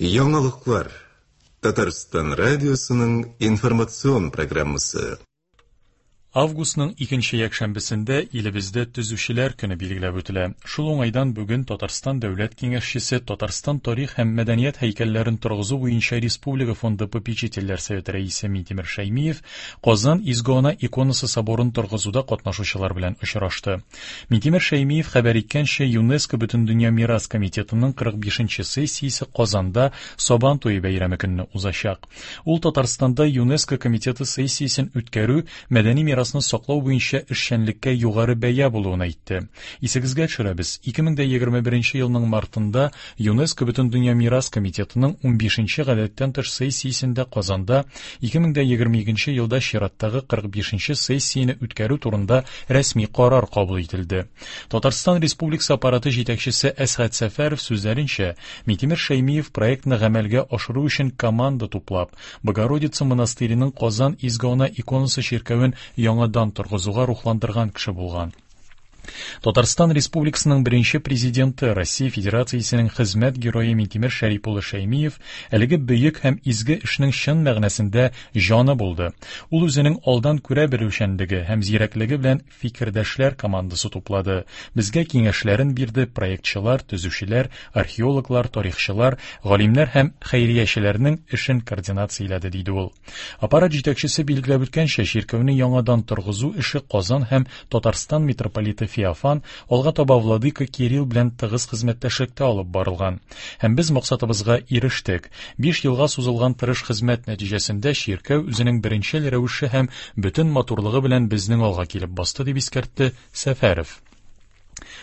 Яңалыклар. Татарстан радиосының информацион программасы. Августның икенче якшәмбесендә илебездә Төзүчеләр көне билгеләп үтелә. Шул уңайдан бүген Татарстан Дәүләт Киңәшчесе, Татарстан тарих һәм мәдәният һәйкәлләрен торгызу буенча Республика фонды попечительләр советы рәисе Минтимер Шәймиев Казан Изге Ана иконасы соборын торгызуда катнашучылар белән очрашты. Минтимер Шәймиев хәбәр иткәнчә, ЮНЕСКО Бөтендөнья мирас комитетының 45 нче сессиясе Казанда Сабан туе бәйрәме көнне узачак. Ул Татарстанда ЮНЕСКО комитеты сессиясен үткәрү мәдәни мирасны саклау буенча эшчәнлеккә югары бәя булуын әйтте. Исегезгә төшерәбез, 2021 елның мартында ЮНЕСКО Бөтендөнья мирас комитетының 15 нче гадәттән тыш сессиясендә Казанда 2022 елда чираттагы 45 нче сессияне үткәрү турында рәсми карар кабул ителде. Татарстан Республикасы аппараты җитәкчесе Әсгать Сәфәров сүзләренчә, Минтимер Шәймиев проектны гамәлгә ашыру өчен команда туплап, Богородица монастыреның Казан Изге Ана иконасы чиркәвен яңадан торгызуга рухландырган кеше булган. Татарстан Республикасының беренче президенты, Россия Федерациясенең хезмәт герое Минтимер Шәрип улы Шәймиев әлеге бөек һәм изге эшнең чын мәгънәсендә җаны булды. Ул үзенең алдан күрә белүчәнлеге һәм зирәклеге белән фикердәшләр командасы туплады, безгә киңәшләрен бирде, проектчылар, төзүчеләр, археологлар, тарихчылар, галимнәр һәм хәйриячеләрнең эшен координацияләде, диде ул. Аппарат җитәкчесе билгеләп үткәнчә, чиркәүне яңадан торгызу эше Казан һәм Татарстан митрополиты Феофан, алга таба владыка Кирилл белән тыгыз хезмәттәшлектә алып барылган. Һәм без максатыбызга ирештек. Биш елга сузылган тырыш хезмәт нәтиҗәсендә чиркәү үзенең беренчел рәвеше һәм бөтен матурлыгы белән безнең алга килеп басты, дип искәртте Сәфәров.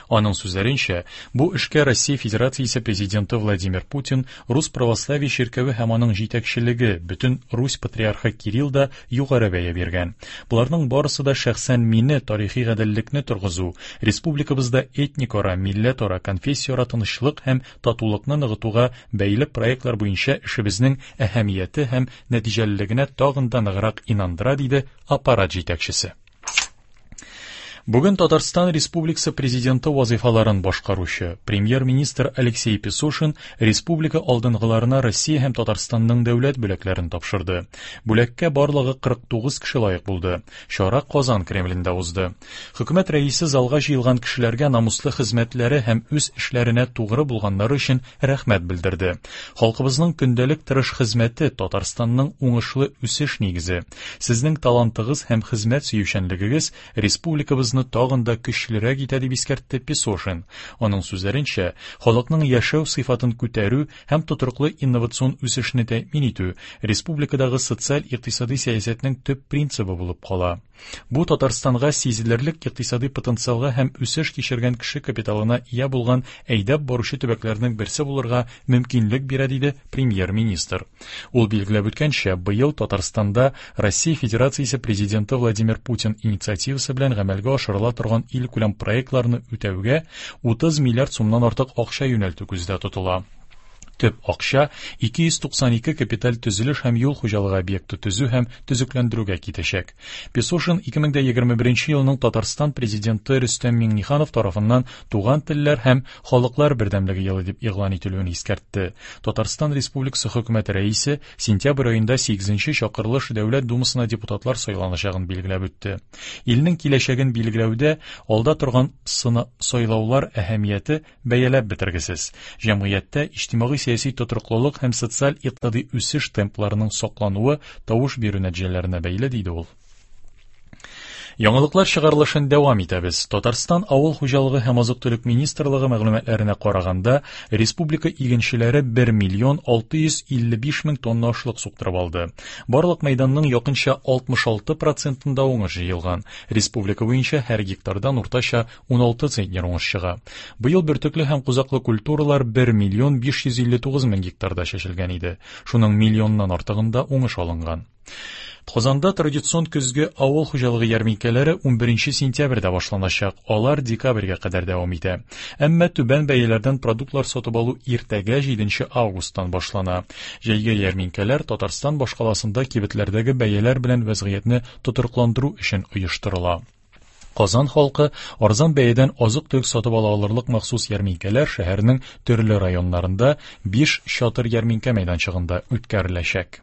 Аның сүзләренчә, бу эшкә Россия Федерациясе Президенты Владимир Путин, Рус православие чиркәве һәм аның җитәкчелеге, бөтен Русь патриархы Кирилл да югары бәя биргән. Боларның барысы да шәхсән мине тарихи гаделлекне торгызу, республикабызда этникара, милләтара, конфессияара тынычлык һәм татулыкны ныгытуга бәйле проектлар буенча эшебезнең әһәмияте һәм нәтиҗәлелегенә тагын да ныграк инандыра, диде аппарат җитәкчесе. Бүген Татарстан Республикасы Президенты вазыйфаларын башкаручы премьер-министр Алексей Песошин республика алдынгыларына Россия һәм Татарстанның дәүләт бүләкләрен тапшырды. Бүләккә барлыгы 49 кеше лаек булды. Чара Казан Кремлендә узды. Хөкүмәт рәисе залга җыелган кешеләргә намуслы хезмәтләре һәм үз эшләренә тугры булганнары өчен рәхмәт белдерде. Халкыбызның көндәлек тырыш хезмәте Татарстанның уңышлы үсеш нигезе. Сезнең талантыгыз һәм хезмәт сөючәнлегегез республикабызны тагын да көчлерәк итә, дип искәртте Песошин. Аның сүзләренчә, халыкның яшәү сыйфатын күтәрү һәм тотрыклы инновацион үсешне тәэмин итү республикадагы социаль-икътисади сәясәтнең төп принцибы булып кала. Бу Татарстанга сизелерлек икътисади потенциалга һәм үсеш кичергән кеше капиталына ия булган әйдәп баручы төбәкләрнең берсе булырга мөмкинлек бирә, диде премьер-министр. Ул билгеләп үткәнчә, быел Татарстанда Россия Федерациясе Президенты Владимир Путин инициативасы белән гамәлгә ашырыла торган илкүләм проектларны үтәүгә 30 миллиард сумнан артык акча юнәлтү күздә тотыла. Төп акча 292 капиталь төзелеш һәм юл хуҗалыгы объекты төзү һәм төзекләндерүгә китәчәк. Песошин 2021 елның Татарстан Президенты Рөстәм Миңнеханов тарафыннан Туган телләр һәм халыклар бердәмлеге елы дип игълан ителүен искәртте. Татарстан Республикасы Хөкүмәте Рәисе сентябрь аенда 8 нче чакырылыш Дәүләт Думасына депутатлар сайланачагын билгеләп үтте. Илнең киләчәген билгеләүдә алда торган сайлаулар әһәмияте бәяләп бетергесез. Җәмгыятьтә иҗтимагый-сәяси тотрыклылык һәм социаль-икътисади үсеш темпларының саклануы тавыш бирү нәтиҗәләренә бәйле, диде ул. Яңалыклар чыгарылышын дәвам итәбез. Татарстан Авыл хуҗалыгы һәм азык-төлек министрлыгы мәгълүматларына караганда, республика игенчеләре 1 миллион 655 мең тонна ашлык суктырып алды. Барлык мәйданның якынча 66 процентында уңыш җыелган. Республика буенча һәр гектардан уртача 16 центнер уңыш чыга. Быел бөртекле һәм кузаклы культуралар 1 миллион 559 мең гектарда чәчелгән иде. Шуның миллионнан артыгында уңыш алынган. Казанда традицион көзге авыл хуҗалыгы ярминкәләре 11 сентябрьдә башланачак. Алар декабрьгә кадәр дәвам итә. Әмма түбән бәяләрдән продуктлар сатып алу иртәгә 7 августтан башлана. Җәйге ярминкәләр Татарстан башкаласында кибетләрдәге бәяләр белән вәзгыятьне тотрыкландыру өчен оештырыла. Казан халкы арзан бәядән азык-төлек сатып ала алырлык махсус ярминкәләр шәһәрнең төрле районнарында 5 чатыр ярминкә мәйданчыгында үткәреләчәк.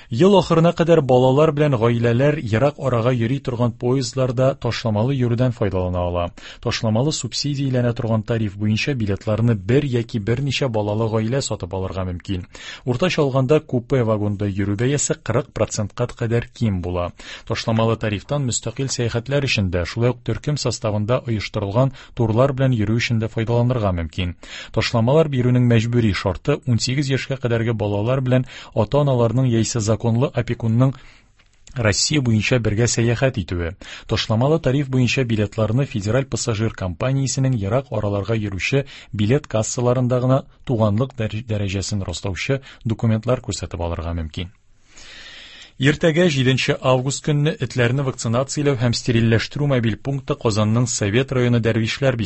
Ел ахырына кадәр балалар белән гаиләләр ерак арага йөри торган поездларда ташламалы йөрүдән файдалана ала. Ташламалы субсидияләнә торган тариф буенча билетларны бер яки берничә балалы гаилә сатып алырга мөмкин. Уртача алганда купе вагонда йөрү бәясе 40 процентка кадәр ким була. Ташламалы тарифтан мөстәкыйль сәяхәтләр өчен дә, шулай ук төркем составында оештырылган турлар белән йөрү өчен дә файдаланырга мөмкин. Ташламалар бирүнең мәҗбүри шарты 18 яшькә кадәрге балалар белән ата-аналарның яисә законлы опекунның Россия буенча бергә сәяхәт итүе. Ташламалы тариф буенча билетларны Федераль пассажир компаниясенең ерак араларга йөрүче билет кассаларында гына туганлык дәрәҗәсен раслаучы документлар күрсәтеп алырга мөмкин. Иртәгә 7 август көнне этләрне вакцинацияләү һәм стерильләштерү мобиль пункты Казанның Совет районы Дәрвишләр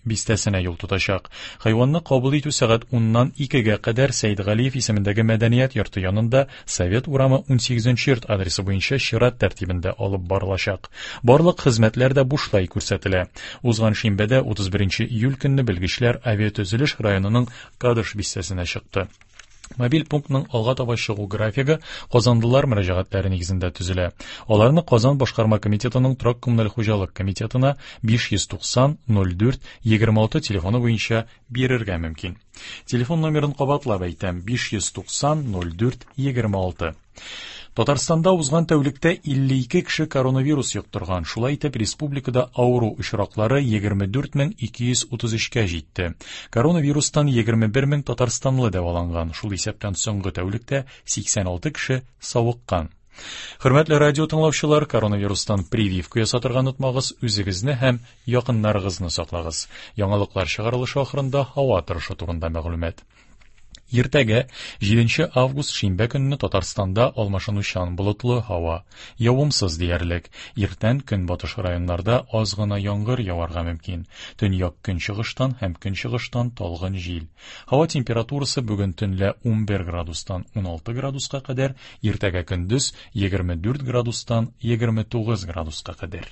бистәсенә юл тотачак. Хайванны кабул итү сәгать 10-нан 2-гә кадәр Сәйдгалиев исемендәге мәдәният йорты янында Совет урамы 18 йорт адресы буенча чират тәртибендә алып барылачак. Барлык хезмәтләр дә бушлай күрсәтелә. Узган шимбәдә 31 июль көнне белгечләр авиатөзелеш районының Кадыш бистәсенә чыкты. Мобиль пунктның алга таба чыгу графигы казанлылар мөрәҗәгатьләре нигезендә төзелә. Аларны Казан башкарма комитетының торак коммуналь хуҗалык комитетына 590 04 26 телефоны буенча бирергә мөмкин. Телефон номерын кабатлап әйтәм: 590 04 26. Татарстанда узган тәүлектә 52 кеше коронавирус йоктырган. Шулай итеп, республикада авыру очраклары 24233-кә җитте. Коронавирустан 21 мең татарстанлы дәваланган. Шул исәптән соңгы тәүлектә 86 кеше савыккан. Хөрмәтле радио тыңлаучылар, коронавирустан прививка ясатырга онытмагыз, үзегезне һәм якыннарыгызны саклагыз. Яңалыклар чыгарылышы ахырында һава торышы турында мәгълүмат. Иртәгә 7 август шимбә көнне Татарстанда алмашынучан болытлы һава, явымсыз диярлек. Иртән көнбатыш районнарда аз гына яңгыр яварга мөмкин. Төньяк көнчыгыштан һәм көнчыгыштан талгын җил. Һава температурасы бүген төнлә 11 градустан 16 градуска кадәр, иртәгә көндез 24 градустан 29 градуска кадәр.